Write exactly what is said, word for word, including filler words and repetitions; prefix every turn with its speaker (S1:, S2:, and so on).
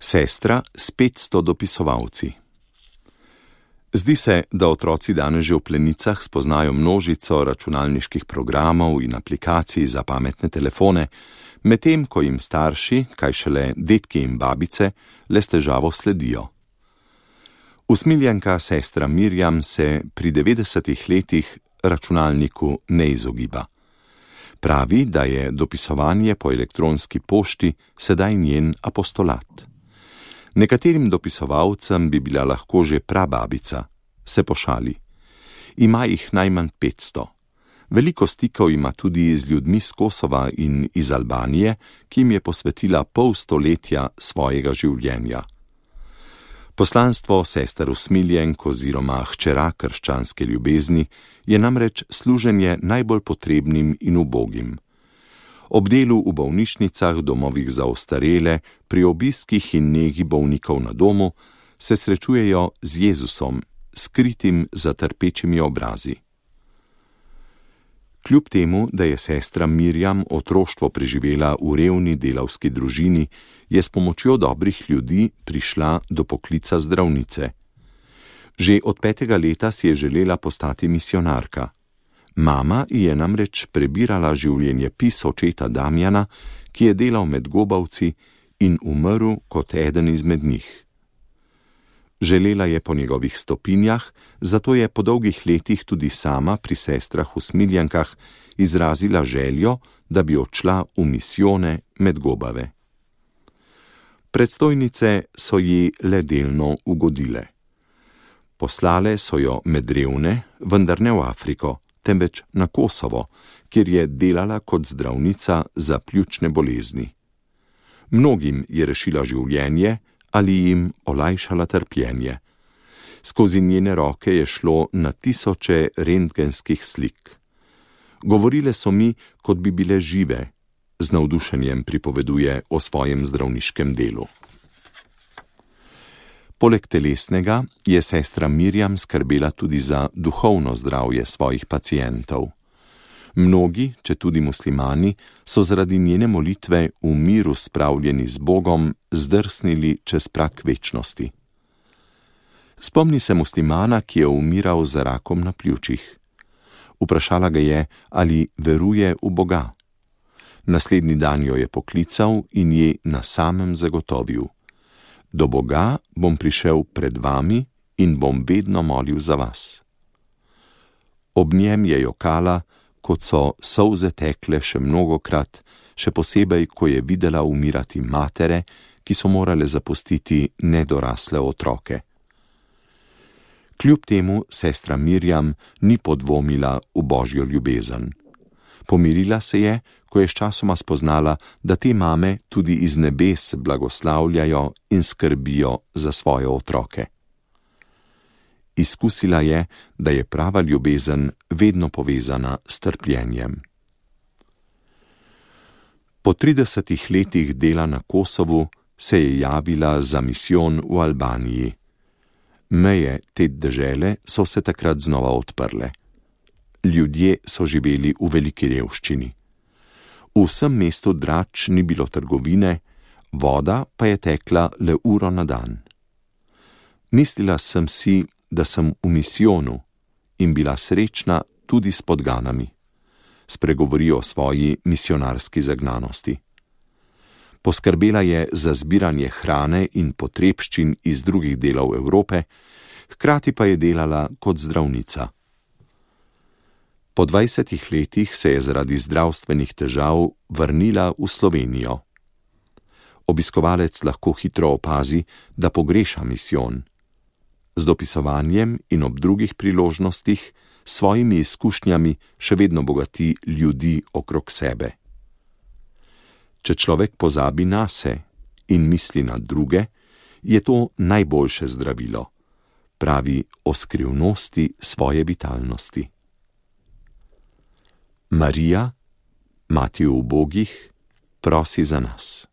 S1: Sestra s petsto dopisovalci. Zdi se, da otroci danes že v plenicah spoznajo množico računalniških programov in aplikacij za pametne telefone, medtem ko jim starši, kaj šele dedki in babice, le s težavo sledijo. Usmiljenka sestra Mirjam se pri devetdesetih letih računalniku ne izogiba. Pravi, da je dopisovanje po elektronski pošti sedaj njen apostolat. Nekaterim dopisovalcem bi bila lahko že prababica, se pošali. Ima jih najmanj petsto. Veliko stikov ima tudi z ljudmi z Kosova in iz Albanije, ki jim je posvetila pol stoletja svojega življenja. Poslanstvo sester usmiljenk oziroma hčera krščanske ljubezni je namreč služenje najbolj potrebnim in ubogim. Ob delu v bolnišnicah, domovih za ostarele, pri obiskih in negi bolnikov na domu se srečujejo z Jezusom, skritim za trpečimi obrazi. Kljub temu, da je sestra Mirjam otroštvo preživela v revni delavski družini, je s pomočjo dobrih ljudi prišla do poklica zdravnice. Že od petega leta si je želela postati misionarka. Mama je namreč prebirala življenjepis očeta Damjana, ki je delal med gobavci in umrl kot eden izmed njih. Želela je po njegovih stopinjah, zato je po dolgih letih tudi sama pri sestrah usmiljenkah izrazila željo, da bi odšla v misijone med gobave. Predstojnice so ji le delno ugodile. Poslale so jo med revne, vendar ne v Afriko, temveč na Kosovo, kjer je delala kot zdravnica za pljučne bolezni. Mnogim je rešila življenje ali jim olajšala trpljenje. Skozi njene roke je šlo na tisoče rentgenskih slik. Govorile so mi, kot bi bile žive, z navdušenjem pripoveduje o svojem zdravniškem delu. Poleg telesnega je sestra Mirjam skrbela tudi za duhovno zdravje svojih pacientov. Mnogi, če tudi muslimani, so zaradi njene molitve v miru spravljeni z Bogom zdrsnili čez prak večnosti. Spomni se muslimana, ki je umiral za rakom na pljučih. Vprašala ga je, ali veruje v Boga. Naslednji dan jo je poklical in ji na samem zagotovil: do Boga bom prišel pred vami in bom vedno molil za vas. Ob njem je jokala, kot so solze tekle še mnogokrat, še posebej, ko je videla umirati matere, ki so morale zapustiti nedorasle otroke. Kljub temu sestra Mirjam ni podvomila v božjo ljubezen. Pomirila se je, ko je sčasoma spoznala, da te mame tudi iz nebes blagoslavljajo in skrbijo za svoje otroke. Izkusila je, da je prava ljubezen vedno povezana s trpljenjem. Po tridesetih letih dela na Kosovu se je javila za misijon v Albaniji. Meje te dežele so se takrat znova odprle. Ljudje so živeli v veliki revščini. V vsem mestu Drač ni bilo trgovine, voda pa je tekla le uro na dan. Mislila sem si, da sem v misijonu in bila srečna tudi s podganami. Spregovori o svoji misionarski zagnanosti. Poskrbela je za zbiranje hrane in potrebščin iz drugih delov Evrope, hkrati pa je delala kot zdravnica. Po dvajsetih letih se je zaradi zdravstvenih težav vrnila v Slovenijo. Obiskovalec lahko hitro opazi, da pogreša misijon. Z dopisovanjem in ob drugih priložnostih s svojimi izkušnjami še vedno bogati ljudi okrog sebe. Če človek pozabi nase in misli na druge, je to najboljše zdravilo, pravi o skrivnosti svoje vitalnosti. Marija, mati ubogih, prosi za nas.